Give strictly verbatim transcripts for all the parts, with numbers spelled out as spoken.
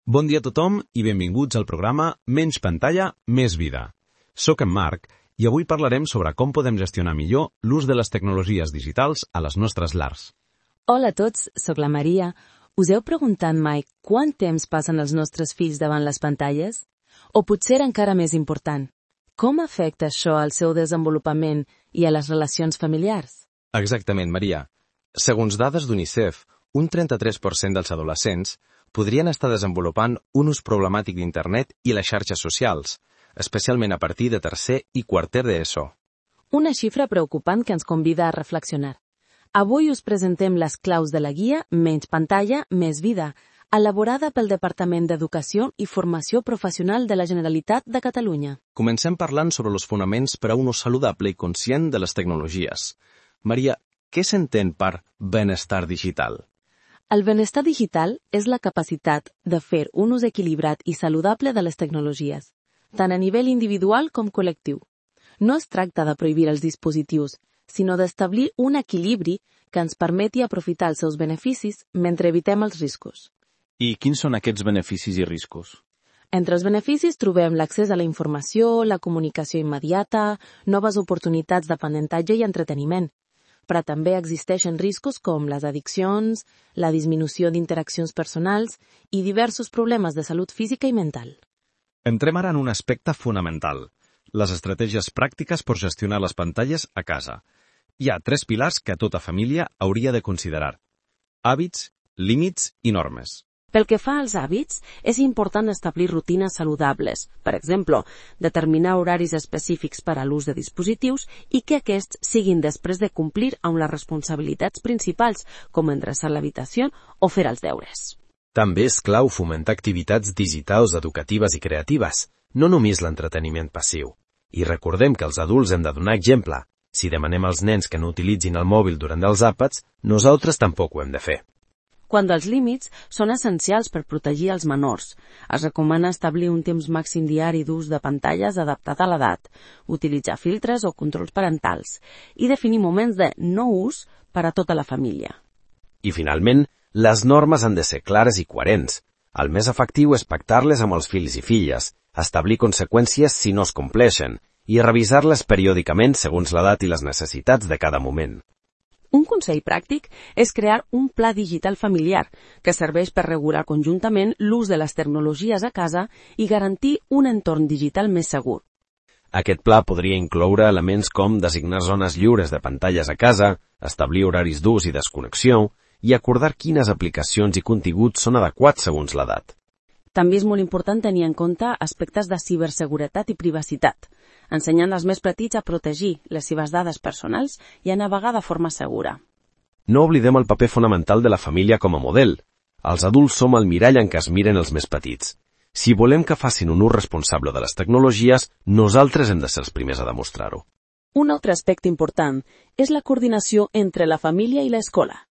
Bon dia a tothom i benvinguts al programa Menys pantalla, més vida. Soc en Marc i avui parlarem sobre com podem gestionar millor l'ús de les tecnologies digitals a les nostres llars. Hola a tots, sóc la Maria. Us heu preguntat mai quant temps passen els nostres fills davant les pantalles? O potser encara més important, com afecta això al seu desenvolupament i a les relacions familiars? Exactament, Maria. Segons dades d'UNICEF, un trenta-tres per cent dels adolescents podrien estar desenvolupant un ús problemàtic d'Internet i les xarxes socials, especialment a partir de tercer i quarter d'ESO. Una xifra preocupant que ens convida a reflexionar. Avui us presentem les claus de la guia Menys pantalla, més vida, elaborada pel Departament d'Educació i Formació Professional de la Generalitat de Catalunya. Comencem parlant sobre els fonaments per a un ús saludable i conscient de les tecnologies. Maria, què s'entén per benestar digital? El benestar digital és la capacitat de fer un ús equilibrat i saludable de les tecnologies, tant a nivell individual com col·lectiu. No es tracta de prohibir els dispositius, sinó d'establir un equilibri que ens permeti aprofitar els seus beneficis mentre evitem els riscos. I quins són aquests beneficis i riscos? Entre els beneficis trobem l'accés a la informació, la comunicació immediata, noves oportunitats d'aprenentatge i entreteniment. Però també existeixen riscos com les addiccions, la disminució d'interaccions personals i diversos problemes de salut física i mental. Entrem ara en un aspecte fonamental, les estratègies pràctiques per gestionar les pantalles a casa. Hi ha tres pilars que tota família hauria de considerar: hàbits, límits i normes. Pel que fa als hàbits, és important establir rutines saludables, per exemple, determinar horaris específics per a l'ús de dispositius i que aquests siguin després de complir amb les responsabilitats principals, com endreçar l'habitació o fer els deures. També és clau fomentar activitats digitals educatives i creatives, no només l'entreteniment passiu. I recordem que els adults hem de donar exemple. Si demanem als nens que no utilitzin el mòbil durant els àpats, nosaltres tampoc ho hem de fer. Quant als límits, són essencials per protegir els menors. Es recomana establir un temps màxim diari d'ús de pantalles adaptat a l'edat, utilitzar filtres o controls parentals i definir moments de no ús per a tota la família. I finalment, les normes han de ser clares i coherents. El més efectiu és pactar-les amb els fills i filles, establir conseqüències si no es compleixen i revisar-les periòdicament segons l'edat i les necessitats de cada moment. Un consell pràctic és crear un pla digital familiar que serveix per regular conjuntament l'ús de les tecnologies a casa i garantir un entorn digital més segur. Aquest pla podria incloure elements com designar zones lliures de pantalles a casa, establir horaris d'ús i desconnexió i acordar quines aplicacions i continguts són adequats segons l'edat. També és molt important tenir en compte aspectes de ciberseguretat i privacitat, ensenyant als més petits a protegir les seves dades personals i a navegar de forma segura. No oblidem el paper fonamental de la família com a model. Els adults som el mirall en què es miren els més petits. Si volem que facin un ús responsable de les tecnologies, nosaltres hem de ser els primers a demostrar-ho. Un altre aspecte important és la coordinació entre la família i l'escola.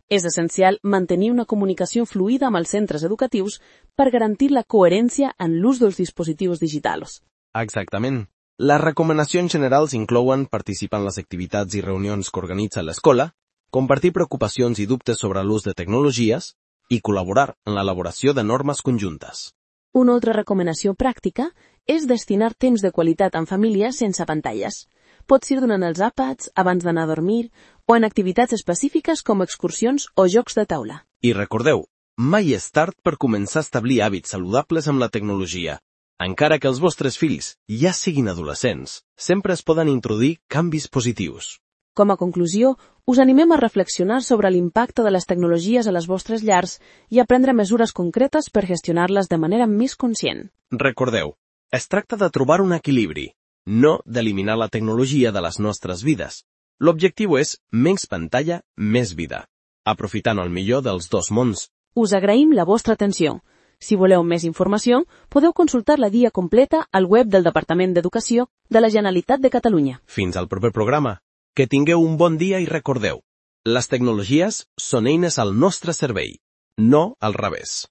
És essencial mantenir una comunicació fluida amb els centres educatius per garantir la coherència en l'ús dels dispositius digitals. Exactament. Les recomanacions generals inclouen participar en les activitats i reunions que organitza l'escola, compartir preocupacions i dubtes sobre l'ús de tecnologies i col·laborar en l'elaboració de normes conjuntes. Una altra recomanació pràctica és destinar temps de qualitat en família sense pantalles. Pot ser durant els àpats, abans d'anar a dormir o en activitats específiques com excursions o jocs de taula. I recordeu, mai és tard per començar a establir hàbits saludables amb la tecnologia. Encara que els vostres fills ja siguin adolescents, sempre es poden introduir canvis positius. Com a conclusió, us animem a reflexionar sobre l'impacte de les tecnologies a les vostres llars i a prendre mesures concretes per gestionar-les de manera més conscient. Recordeu, es tracta de trobar un equilibri, no d'eliminar la tecnologia de les nostres vides. L'objectiu és menys pantalla, més vida, aprofitant el millor dels dos mons. Us agraïm la vostra atenció. Si voleu més informació, podeu consultar la guia completa al web del Departament d'Educació de la Generalitat de Catalunya. Fins al proper programa. Que tingueu un bon dia i recordeu, les tecnologies són eines al nostre servei, no al revés.